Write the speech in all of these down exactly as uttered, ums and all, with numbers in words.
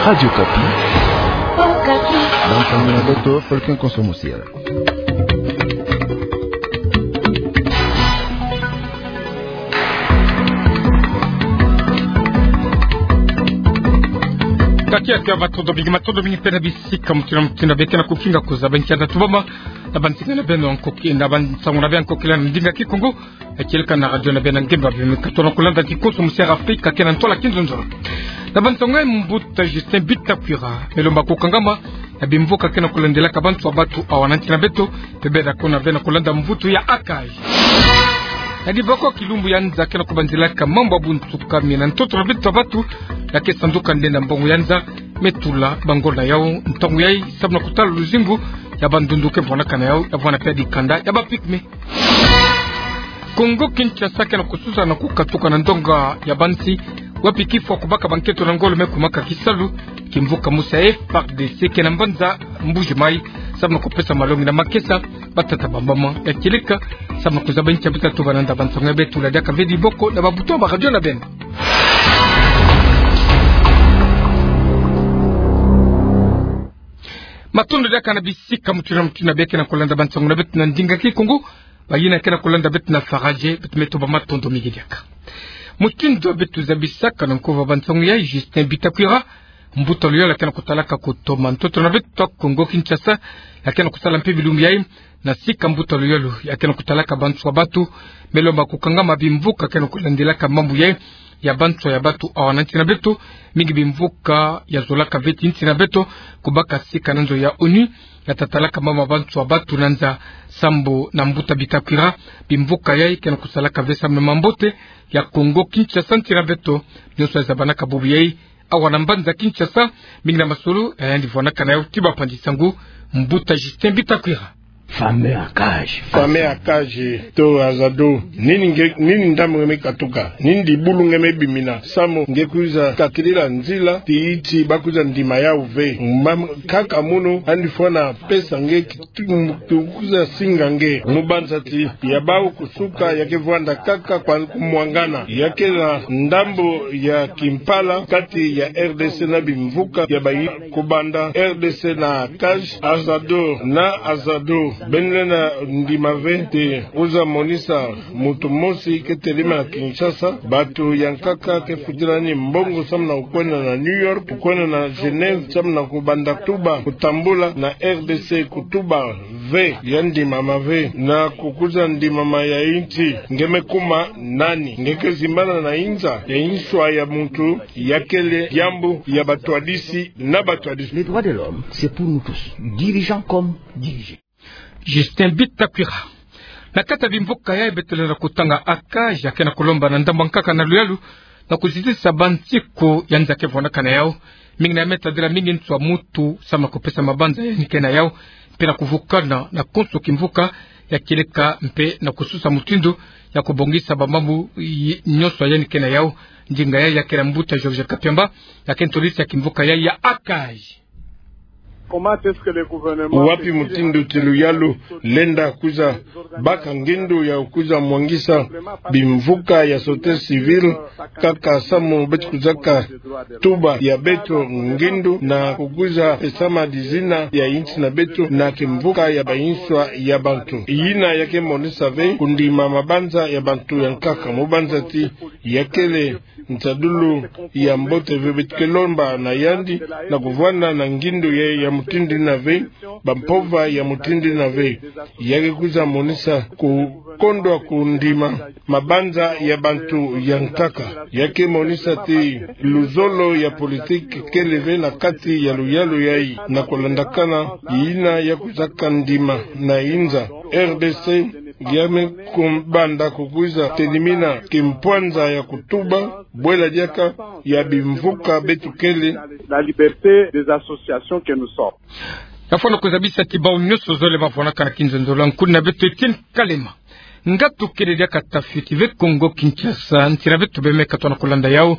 Radio Okapi. Okapi. Bansango na beto, Fulcrum Konso Mosiala. Kati ya kiawa, matondo mingi, matondo mingi mpe na bisika mutindu na mutindu bie ke na kukinga kuzaba nkia nda tubama na bansinga na beno ya nkoki, na bansango na beno ya nkokila na ndinga Kikongo, ya kieleka na radio na beno ya ngemba, bie me katono kulanda kikonso mosiala Afrika ke na ntola kinzonzolo. Na bansango ya mbuta Justin Bitakwira, me lomba kukangama na bimvuka ke na kulandelaka banswa batu awa na nsi na beto, mpe bie da kona bie na kulanda mvutu ya ACAJ. Na diboko kilumbu ya nza ke na kubanzilaka mambu ya bunsuka mie na ntoto na beto ya batu, ya ke sanduka nde na mbongo ya nza, me tula bango na yau ntangu yai, samu na kutala luzingu ya bandundu ke vwanaka na yau, ya vwana mpe dikanda ya ba pygmées. Kongo Kinshasa ke na kususa na kukatuka na ndonga ya bansi, wapi kifwa kubaka bankento na ngolo me kumaka kisalu, kimvuka mosi ya FARDC ke na mbanza Mbuji Mayi, samu na kupesa malongi na makesa batata ba mama ya kieleka, samu na kuzaba nkia bita tubana nda. Bansango ya beto tula diaka ve diboko na babuto ya ba radio na beno. Matondo diaka na bisika mutindu na mutindu bie ke na kulanda bansango na beto na ndinga Kikongo, bayina ke na kulanda beto na Faradje, beto me tuba matondo mingi diaka. Mutindu beto zabisaka na nkufi ya bansango yai, Justin Bitakwira, mbuta luyalu ya ke na kutalaka kutoma ntoto na beto ya Kongo Kinshasa, ya ke na kusala mpe bilumbu yai na sika mbuta luyalu ya ke na kutalaka banswa batu, me lomba kukangama bimvuka ke na kulandelaka mambu yai ya banswa ya batu awa na nsi na beto, mingi bimvuka ya zolaka ve ti nsi na beto, kubaka sika na nzo ya ONU ya tatalaka mambu ya banswa batu na nza. Sambu na mbuta Bitakwira, bimvuka yai ke na kusalaka ve samu na mambote ya Kongo Kinshasa, nsi na beto nyonso ya zabanaka bubu yai awa na mbanza Kinshasa, mingi na masolo ya yandi vwanaka na yau. Ti bapanzi sango, mbuta Justin Bitakwira. Famille ACAJ. Famille ACAJ to AZADO. Nini nge, nini ndambu nge me katuka? Nini dibulu nge me bimina? Samu nge kwiza kakilila nzila ti iti bakwiza ndima yau ve. Mam-, nkaka munu yandi fwana pesa nge ki-, tu-, tu-, kwiza singa nge. Mu banza ti ya bau kusuka ya ke vwanda nkaka kwa kumwangana. Ya ke na ndambu ya kimpala kati ya RDC na bimvuka ya bayi-, kubanda RDC na ACAJ, AZADO na AZADO beno lenda ndima ve ti kwiza monisa muntu mosi ke telema na Kinshasa, bantu ya nkaka ke futila ni mbongo samu na kukwenda na New York, kukwenda na Genève, samu na kubanda tuba, kutambula na RDC, kutuba ve, ya ndimama ve, na kukwiza ndimama ya insi, nge me kuma nani? Nge ke zimbana na inza ya inswa ya muntu, ya kele diambu ya batwadisi na batwadisi. Les droits de l'homme, c'est pour nous tous, dirigeants comme dirigés. Justin Bitakwira. Na kati ya bimvuka yai beto lenda kutanga, ACAJ ya ke na kulomba na ndambu ya nkaka na luyalu na kuzitisa bansiku ya nza ke vwanaka na yau, mingi na ya me tadila mingi nswa muntu samu na kupesa mabanza yandi ke na yau, mpe na kuvukana na konso kimvuka ya kieleka, mpe na kususa mutindu ya kubongisa bamambu yi-, nyonso yandi ke na yau. Ndinga yai ya ke na mbuta Georges Kapiamba, ya ke ntolisi ya kimvuka yai ya ACAJ. Wapi mutindu ti luyalu lenda kwiza baka ngindu ya kwiza mwangisa bimvuka ya société civile, nkaka samu beto kwizaka tuba ya beto ngindu na kukwiza pesama dizina ya insi na beto na kimvuka ya bainswa ya bantu? Yina ya ke monisa ve kundima mabanza ya bantu ya nkaka, mu banza ti ya kele nsadulu ya mbote ve. Beto ke lomba na yandi na kuvwanda na ngindu ya, ya mutindu yina ve, bampova ya mutindu yina ve. Ya ke kwiza monisa kukondwa kundima mabanza ya bantu ya nkaka. Ya ke monisa ti luzolo ya politique kele ve na kati ya luyalu yai, na kulandakana yina ya kwizaka ndima na inza. RDC ya me kubanda kukwiza telimina kimpwanza ya kutuba, bwela diaka ya bimvuka beto kele. La liberté des associations que nous sommes. Ya fwana kuzabisa ti bau nyonso zole bavwanaka na kinzonzolo, nkuni na beto Etienne Kalema. Ngatu kele diaka tafiti ve Kongo Kinshasa, nsi na beto bie me katono kulanda yau,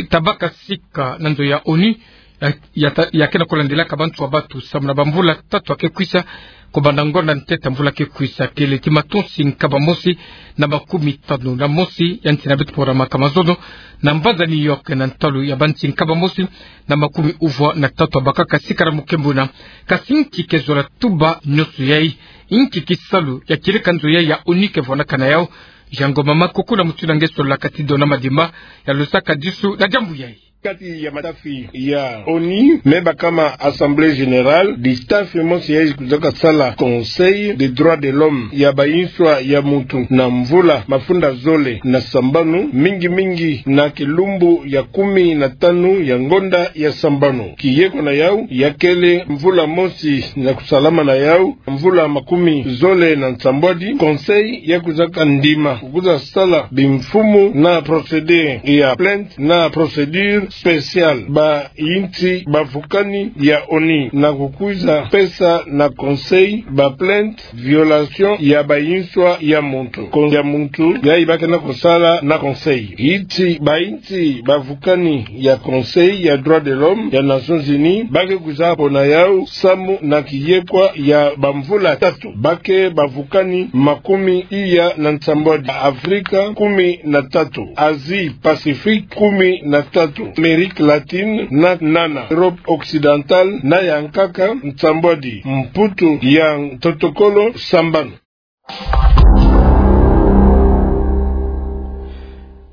tabaka sika na nzo ya ONU, ya, ya ta-, ya ke na kulandelaka bantu ya batu samu na bamvula tatu ya ke kwisa, kubanda ngonda ntete ya mvula ke kwisa, kele ti matonsi nkaba mosi na makumi tanu na mosi ya nti na beto pora makamazono, na mbanza New York, na ntalu ya banti nkaba mosi na makumi uvwa na tatu ya bakaka sikara mukembuna. Kasi nki ke zola tuba nionso yai? Nki kisalu ya kieleka nzo yai ya ONU ke vwanaka na yau? Jean Ngoma Makoko na mutindu nge sololaka ti Dona Madimba, ya losaka disu na diambu yai. Kati ya matafi ya ONU me bakama Assemblée Générale, ditafi mosi yai kwizaka sala Conseil des Droits de l'Homme ya Bayinswa ya Muntu na mvula mafunda zole na sambanu, mingi mingi na kilumbu ya kumi na tanu ya ngonda ya sambanu. Kiyeko na yau ya kele mvula mosi na kusalama na yau mvula makumi zole na nsambwadi. Conseil ya kwizaka ndima, kukwiza sala bimfumu na procédé ya plainte na procédure spéciale, bayinti bavukani ya ONU, na kukwiza pesa na Conseil baplainte violation ya bayinswa ya muntu. Kon-, ya muntu yai ba ke na kusala na Conseil. Yinti, bayinti bavukani ya Conseil ya Droits de l'Homme ya Nations Unies ba ke kwiza pona yau samu na kiyekwa ya bamvula tatu. Ba ke bavukani makumi iya na nsambwadi. Afrika kumi na tatu, Asie Pacifique kumi na tatu, Amérique Latine na nana, Europe Occidentale na ya nkaka nsambwadi, mputu ya ntotokolo sambanu.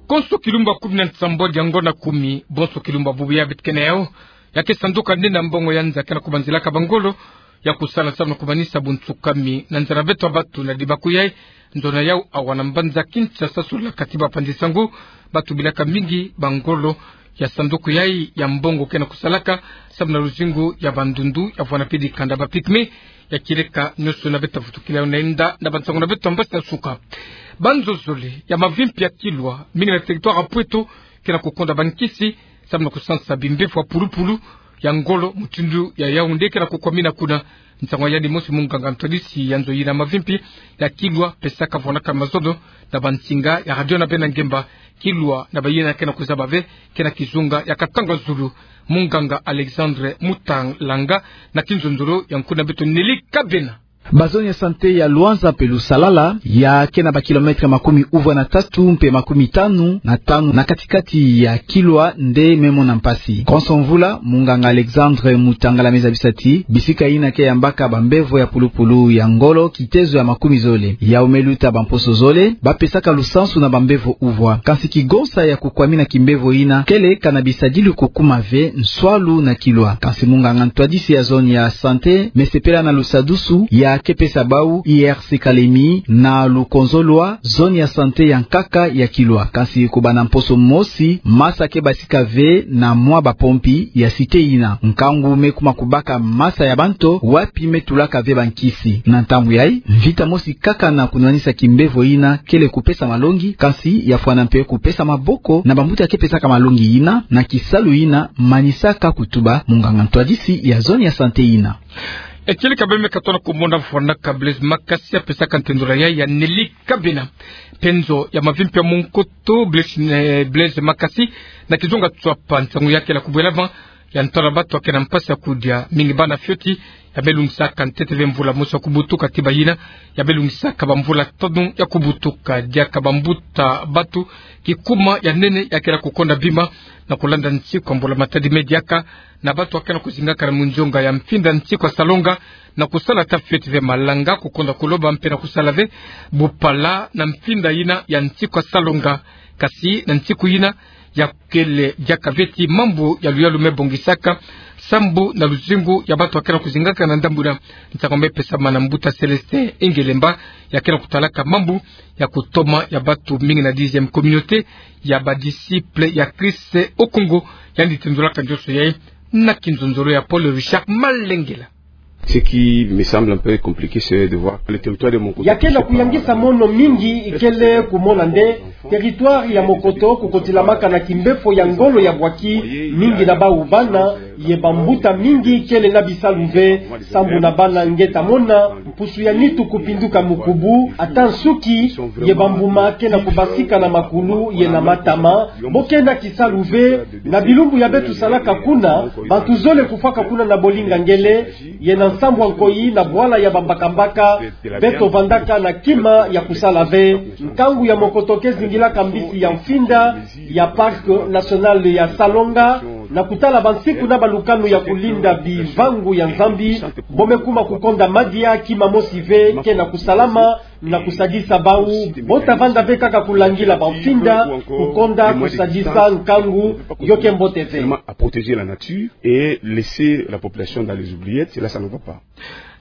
Konso kilumbu ya kumi na nsambwadi ya ngonda kumi, bonso kilumbu ya bubu ya beto ke na yau, ya ke sanduka nde na mbongo ya nza ke na kubanzilaka bangolo ya kusala samu na kumanisa buntsukami na nza na beto ya batu. Na dibaku yai, nzo na yau awa na mbanza Kinshasa sololaka ti bapanzi sango ba tubilaka mingi bangolo ya sanduku yai ya mbongo ke na kusalaka samu na luzingu ya bandundu ya vwana pe dikanda ba pygmées. Ya kieleka nionso na beto vutukila yo na inda na bansango na beto ya mbasi na suka. Banzo zole ya mavimpi ya Kilwa, mingi na territoire ya Pweto, ke na kukonda bankisi samu na kusansa bimbevo ya pulupulu ya ngolo mutindu ya Yaoundé ke na kukwamina kuna. Nsangu ya yandi mosi munganga ntwadisi ya nzo yina mavimpi ya Kilwa pesaka vwanaka mazono na bansinga ya radio na bena ngemba. Kilwa na bayina ke na kuzaba ve, ke na kizunga ya katanga zulu. Munganga Alexandre Mutalanga na kinzonzolo ya nkuna beto Nelly Kabena. Ba zone ya santé ya Luanza mpe Lusalala, ya ke na ba kilomètre makumi uvwa na tatu mpe makumi tanu na tanu na kati-kati ya Kilwa, nde me mona mpasi. Konso mvula, munganga Alexandre Mutalanga me zabisa ti bisika yina ke yambaka bambevo ya pulupulu ya ngolo kitezo ya makumi zole. Yau me luta bamposo zole, ba pesaka lusansu na bambevo uvwa. Kansi kigonsa ya kukwamina kimbevo yina kele kana bisadilu kukuma ve nswalu na Kilwa. Kansi munganga ntwadisi ya zone ya santé me sepela na lusadusu ya ke pesa bau I R C Kalemi na lukonzo lwa zone ya santé ya nkaka ya Kilwa. Kansi kubanda mposo mosi, masa ke basika ve na mwa bapompi ya cité yina. Nkangu me kuma kubaka masa ya banto wapi me tulaka ve bankisi. Na ntangu yai, mvita mosi kaka na kunwanisa kimbevo yina kele kupesa malongi, kansi ya fwana mpe kupesa maboko na bambuta ke pesaka malongi yina na kisalu yina manisaka kutuba munganga ntwadisi ya zone ya santé yina. E kele ka bele me katona kumona fwanaka Blaise Makasi ya pesaka ntendula ya, ya Nelly Kabena. Mpe nzo ya mavimpi ya Monkoto, Blaise, eh, Blaise Makasi, na kizunga Tswapa, nsangu ya kele kubwela va, ya ntwala batu ya ke na mpasi ya kudia, mingi bana fioti, ya me lungisaka ntete ve mvula mosi ya kubutuka ti bayina, ya me lungisaka bamvula tanu ya kubutuka. Diaka bambuta batu, kikuma ya nene ya kele kukonda bima, na kulanda nsiku ya mbula matadi me diaka, na batu ya ke na kuzingaka na munzonga ya mfinda nsiku ya salonga, na kusala ata fioti ve malanga, kukonda kuloba mpe na kusala ve bupala na mfinda yina ya nsiku ya salonga. Kansi na nsiku yina, ya kele diaka ve ti mambu ya luyalu me bongisaka, sambu na luzingu ya batu ya ke na kuzingaka na ndambu yina. Nsangu me pesama na mbuta Célestin Ingelemba, ya ke na kutalaka mambu ya kutoma ya batu mingi na dixième communauté ya ba disciples ya Christ au Congo, yandi tendulaka nzoso yai na kinzonzolo ya Paul Richard Malengela. Ce qui me semble un peu compliqué, c'est de voir que le territoire de Mokoto... Ya ke na kuyangisa mono mingi, ikele kumona nde territoire ya Mokoto kukotilamaka na kimbefo ya ngolo ya bwaki. Mingi na bawu bana ye bambuta mingi kele na bisalu ve, sambu na bana nge ta mona mpusu ya nitu kupinduka mukubu, ata nsuki ye bambuma ke na kubasika na makulu ye na matama. Bo ke na kisalu ve, na bilumbu ya beto salaka kuna, bantu zole kufwaka kuna na bolinga ngele, ye na nsambwa nkoyi na bwala ya bambakambaka, beto vandaka na kima ya kusala ve. Nkangu ya Mokoto ke zingilaka mbisi ya mfinda ya Parc National ya Salonga, na kutala bansiku na balukanu ya kulinda bivangu ya Nzambi. Bo me kuma kukonda madia, kima mosi ve ke na kusalama na kusadisa bawu. Bo ta vanda ve kaka kulangila bamfinda, kukonda kusadisa nkangu, yo ke mbote ve. Seulement à protéger la nature et laisser la population dans les oubliettes, là, ça ne va pas.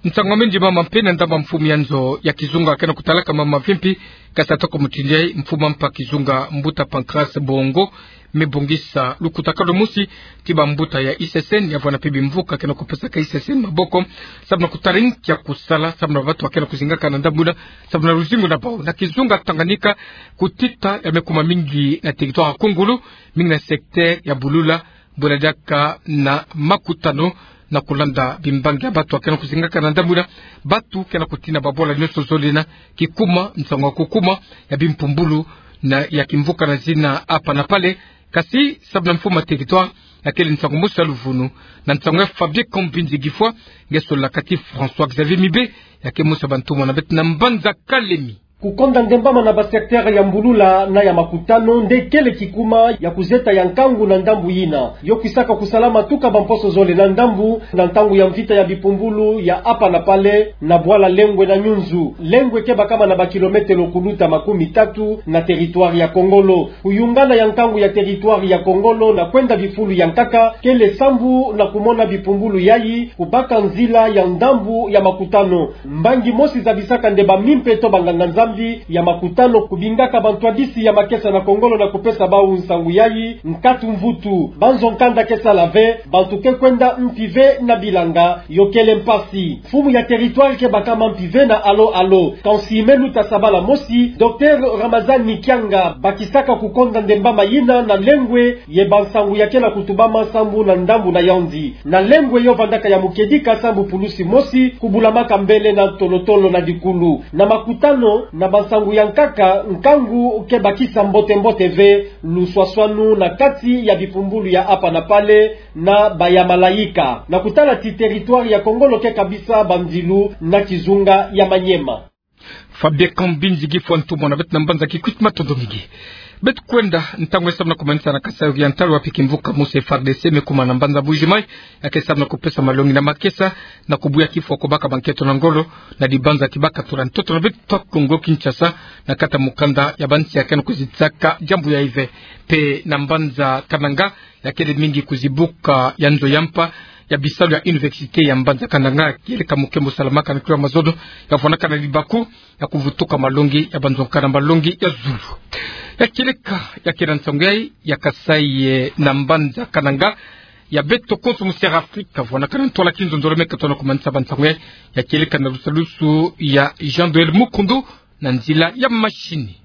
Nsangu mingi mama mpe na ndambu mfumu ya nzo ya kizunga ke na kutalaka mama vimpi, kasi atoko mutindi mfumu mpa kizunga mbuta Pancras Bongo, me bongisa lukutakanu mosi ti bambuta ya I C C N, ya vwanda mpe bimvuka ke na kupesaka I C C N maboko, sababu na kutaringa kia kusala, sababu na bantu ba ke na kuzingaka na ndambu yina, sababu na luzingu na bawu. Na kizunga Tanganyika, kutita ya me kuma mingi na territoire ya Kungulu, mingi na secteur ya Bulula, bwela diaka na makutano na kulanda bimbangi ya bantu ba ke na kuzingaka na ndambu yina, bantu ke na kutina babwala nyonso zole na kikuma, nsangu ya kukuma ya bimpumbulu na ya kimvuka na zina Hapa na Pale. Kasi sababu na mfumu ya territoire, ya kele nsangu mosi ya luvunu, na nsangu ya Fabien Kambinzi Gifwa, nge solaka ti François Xavier Mibe, ya ke mosi ya bantumwa na beto na mbanza Kalemi. Kukonda ndembama na ba secteur ya Mbulula na ya Makutano nde kele kikuma ya kuzeta ya nkangu na ndambu yina. Yo kwisaka kusalama tuka bamposo zole na ndambu, na ntangu ya mvita ya bipumbulu ya Hapa na Pale, na bwala Lengwe na Nyunzu. Lengwe ke bakama na ba kilometelo kuluta makumi tatu na territoire ya Kongolo. Kuyungana ya nkangu ya territoire ya Kongolo na kwenda bifulu ya nkaka, kele sambu na kumona bipumbulu yayi kubaka nzila ya ndambu ya Makutano. Mbangi mosi zabisaka nde bamimpe to banganga-Nzambi ya Makutano kubingaka bantwadisi ya makesa na Kongolo na kupesa bawu nsangu yayi, nkatu mvutu. Banzo nkanda ke sala ve, bantu ke kwenda mpi ve na bilanga, yo kele mpasi. Mfumu ya territoire ke bakama mpi ve na Alo Alo. Kansi me luta sabala mosi, Docteur Ramazani Kianga bakisaka kukonda ndembama yina na Lengwe, ye bansangu ya ke na kutubama sambu na ndambu na yandi. Na Lengwe yo vandaka ya mukedika sambu pulusi mosi kubulamaka mbele na tolotolo na dikulu. Na Makutano, na bansangu ya nkaka, nkangu ke bakisa mbote-mbote ve, luswaswanu na kati ya bipumbulu ya Hapa na Pale na ba ya Malayika. Na kutala ti territoire ya Kongolo ke kabisa bandilu na kizunga ya Maniema. Fabien Kambinzi Gifwa, ntumwa na beto na mbanza Kikwit, matondo mingi. Beto kwenda ntangu ya sababu na kumanisa na Kasai Oriental, wapi kimvuka mosi F A R D C me kuma na mbanza Mbuji-Mayi, ya ke sababu na kupesa malongi na makesa, na kubuya kifwa kubaka banketo na ngolo na dibanza kibaka tula ntoto na beto Kongo Kinshasa, na kati ya mukanda ya bansi ya ke na kuzitisaka diambu yayi ve. Mpe na mbanza Kananga, ya kele mingi kuzibuka ya nzo ya mpa ya bisalu ya université ya mbanza Kananga, kieleka mukembo salamaka na kilo ya mazono, ya vwanaka na libaku ya kuvutuka malongi ya banzonga na malongi ya zulu. Ya kieleka ya kele nsangu yayi ya Kasai, eh, na mbanza Kananga, ya beto konso mu Sierra Afrika, vwanaka na ntwala kinzonzolo me ke tona kumanisa bansangu yayi. Ya kieleka na lusalusu ya Jean Noël Mukundu na nzila ya mashini.